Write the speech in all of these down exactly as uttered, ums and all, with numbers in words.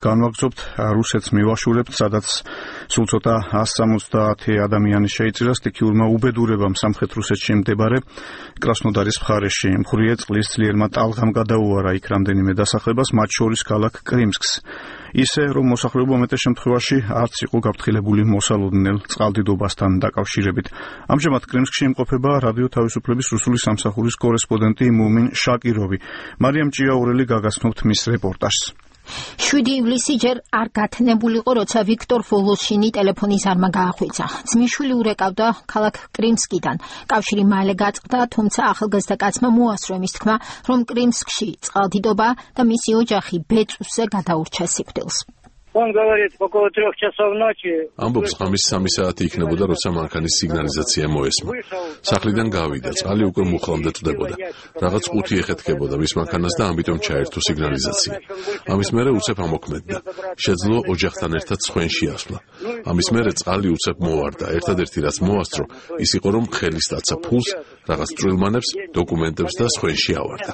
განვაგრძობთ რუსეთს მივაშურებთ, სადაც სულ ცოტა εκατს სამოცდაათი ადამიანი შეიწირა სტიქიურმა უბედურებამ სამხრეთ რუსეთში მდებარე კრასნოდარის მხარეში. მხურიე წყლის ძლიერმა ტალღამ გადაუარა იქ რამდენიმე დასახლებას, მათ შორის ქალაქ კრიმსკს. ისე, რომ მოსახლეობა მეტეს შემთხვევაში არც იყო გაფრთხილებული მოსალოდნელ წყალდიდობასთან დაკავშირებით. ამჟამად კრიმსკში იმყოფება რადიო თავისუფლების რუსული სამსახურის კორესპონდენტი მუმინ შაკიროვი. მარიამ ჭიაურელი გაგაცნობთ მის რეპორტაჟს. შვიდი ივლისი ჯერ არ გათნებულიყო, როცა ვიქტორ ვოლოშინი ტელეფონის არმა გაახვიცა. ძმისშვილი ურეკავდა ქალაქ კრიმსკიდან. კავშირი მალე გაწყდა, თუმცა ახალგაზრდა კაცმა მოასწრო იმის თქმა, რომ კრიმსკში წყალდიდობა და მისი ოჯახი ბეწვზე გადაურჩა სიკვდილს. Он говорит, около трех часов ночи. ამბობს, ღამის სამი საათი იქნებოდა, როცა მანქანის სიგნალიზაცია მოესმა. სახლიდან გავიდა, წყალი უკვე მუხლამდე წვდებოდა. რაღაც ყუთი ეხეთქებოდა მის მანქანას და ამიტომ ჩაერთო სიგნალიზაცია. ამის მერე უცებ ამოქმედდა. შეძლო ოჯახთან ერთად სხვენში ასვლა. ამის მერე წყალი უცებ მოვარდა. ერთადერთი რაც მოასწრო, ის იყო, რომ ხელი სტაცა ფულს, რაღაც წვრილმანებს, დოკუმენტებს და სხვენში ავარდა.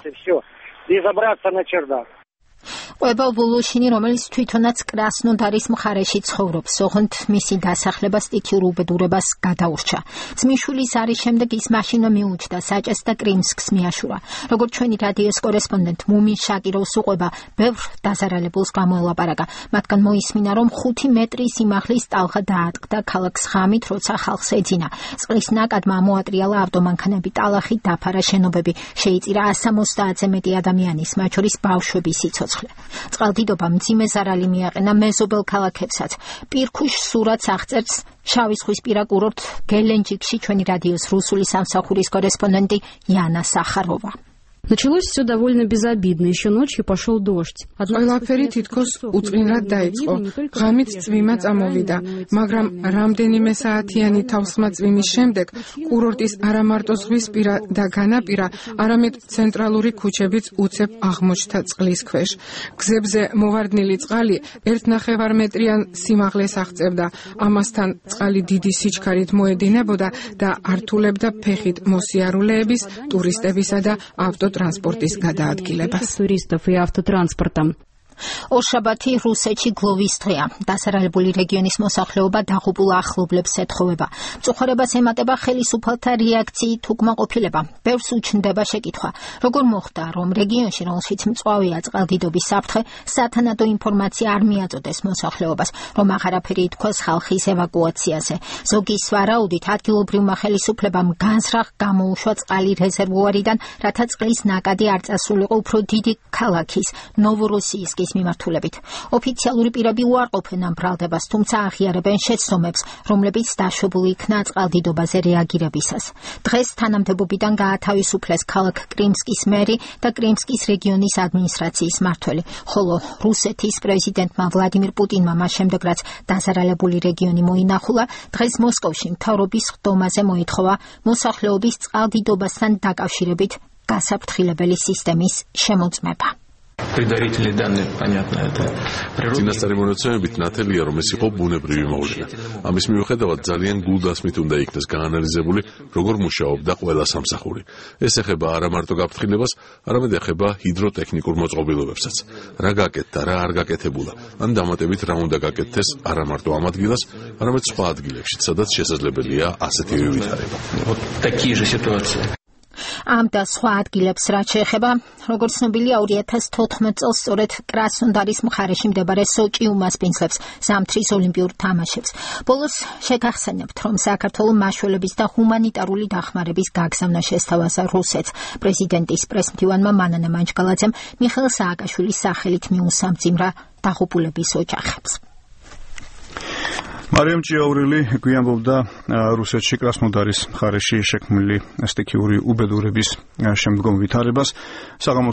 ყვება ვოლოშინი, რომელიც თვითონაც კრასნოდარის მხარეში ცხოვრობს, ოღონდ მისი დასახლება სტიქიურ უბედურებას გადაურჩა. ძმისშვილის არის შემდეგ ის მაშინვე მიუჩნდა საჭეს და კრიმსკს მიაშურა. როგორც ჩვენი რადიოს კორესპონდენტ მუმინ შაკიროვს უყვება, ბევრ დაზარალებულს გამოელაპარაკა. მათგან მოისმინა, რომ ხუთი მეტრი სიმაღლის ტალღა დაატყდა ქალაქს ღამით, როცა ხალხს ეძინა. წყლის ნაკადმა მოატრიალა ავტომანქანები, ტალახი დაფარა შენობები. შეიწირა εκατს სამოცდაათზე მეტი ადამიანის, მათ შორის ბავშვების სიცოცხლე. წყალდიდობა მძიმე ზარალი მიაყენა მეზობელ ქალაქებსაც. პირქუშ სურათს აღწერს შავი ზღვისპირა კურორტ გელენჯიკში ჩვენი რადიოს რუსული სამსახურის კორესპონდენტი იანა სახაროვა. Началось все довольно безобидно. Еще ночью пошел дождь. ყველაფერი თითქოს უწყინრად დაიწყო. ღამით წვიმა წამოვიდა, მაგრამ რამდენიმე საათიანი თავსხმა წვიმის შემდეგ კურორტის არა მარტო ზღვისპირა და განაპირა, არამედ ცენტრალური ქუჩებიც უცებ აღმოჩნდა წყლის ქვეშ. გზებზე მოვარდნილი წყალი ერთ ნახევარ მეტრიან სიმაღლეს აღწევდა. ამასთან წყალი დიდი სიჩქარით მოედინებოდა და ართულებდა ფეხით მოსიარულეების, ტურისტებისა და ავტო ტრანსპორტის გადაადგილებას. Туристов и автотранспортом. ორშაბათი რუსეთში გლოვის დღეა. დასარალებული რეგიონის მოსახლეობა დაღუპულ ახლობლებს ეთხოვება. მწუხარებას ემატება ხელისუფალთა რეაქციით უკმაყოფილება. ბევრს უჩნდება შეკითხვა, როგორ მოხდა, რომ რეგიონში, რომელშიც მწვავეა წყალდიდობის საფრთხე, სათანადო ინფორმაცია არ მიაწოდეს მოსახლეობას, რომ აღარაფერი ითქვას ხალხის ევაკუაციაზე. ზოგის ვარაუდით, ადგილობრივმა ხელისუფლებამ განზრახ გამოუშვა წყალი რეზერვუარიდან, რათა წყლის ნაკადი არ წასულიყო უფრო დიდი ქალაქის ნოვოროსიისკის მიმართულებით. ოფიციალური პირები უარყოფენ ამ ბრალდებას, თუმცა აღიარებენ შეცდომებს, რომლებიც დაშვებული იქნა წყალდიდობაზე რეაგირებისას. დღეს თანამდებობიდან გაათავისუფლეს ქალაქ კრიმსკის მერი და კრიმსკის რეგიონის ადმინისტრაციის მმართველი, ხოლო რუსეთის პრეზიდენტმა ვლადიმირ პუტინმა მას შემდეგ, რაც დაზარალებული რეგიონი მოინახულა, დღეს მოსკოვში მთავრობის ხდომაზე მოითხოვა მოსახლეობის წყალდიდობასთან დაკავშირებით გასაფრთხილებელი სისტემის შემოწმება. Предварительные данные, понятно, это წინასწარი მონაცემებით ნათელია, რომ ეს იყო ბუნებრივი მოვლენა. ამის მიუხედავად ძალიან გულდასმით უნდა იქნეს გაანალიზებული, როგორ მუშაობდა ყველა სამსახური. ეს ეხება არა მარტო გაფრთხილებას, არამედ ეხება ჰიდროტექნიკურ მოწყობილობებსაც. რა გაკეთდა, რა არ გაკეთებულა, ან დამატებით რა უნდა გაკეთდეს არა მარტო ამ ადგილას, არამედ სხვა ადგილებში, სადაც შესაძლებელია ასეთივე ვითარება. Вот такие же ситуации. ამ და სხვა ადგილებს რაც შეეხება, როგორც ცნობილია, ორი ათას თოთხმეტ წელს სწორედ კრასნოდარის მხარეში მდებარე სოჭი უმასპინძლებს ზამთრის ოლიმპიურ თამაშებს. ბოლოს შეგახსენებთ, რომ საქართველოს მაშველების და ჰუმანიტარული დახმარების გაგზავნა შესთავაზა რუსეთს. პრეზიდენტის პრესმდივანმა მანანა მანჯგალაძემ მიხეილ სააკაშვილის სახელით მიუსამძიმრა დაღუპულების ოჯახებს. მარიამ ჭიაურელი გვიანბობდა რუსეთში კრასნოდარის მხარეში შექმნილი სტიქიური უბედურების შემდგომ ვითარებას.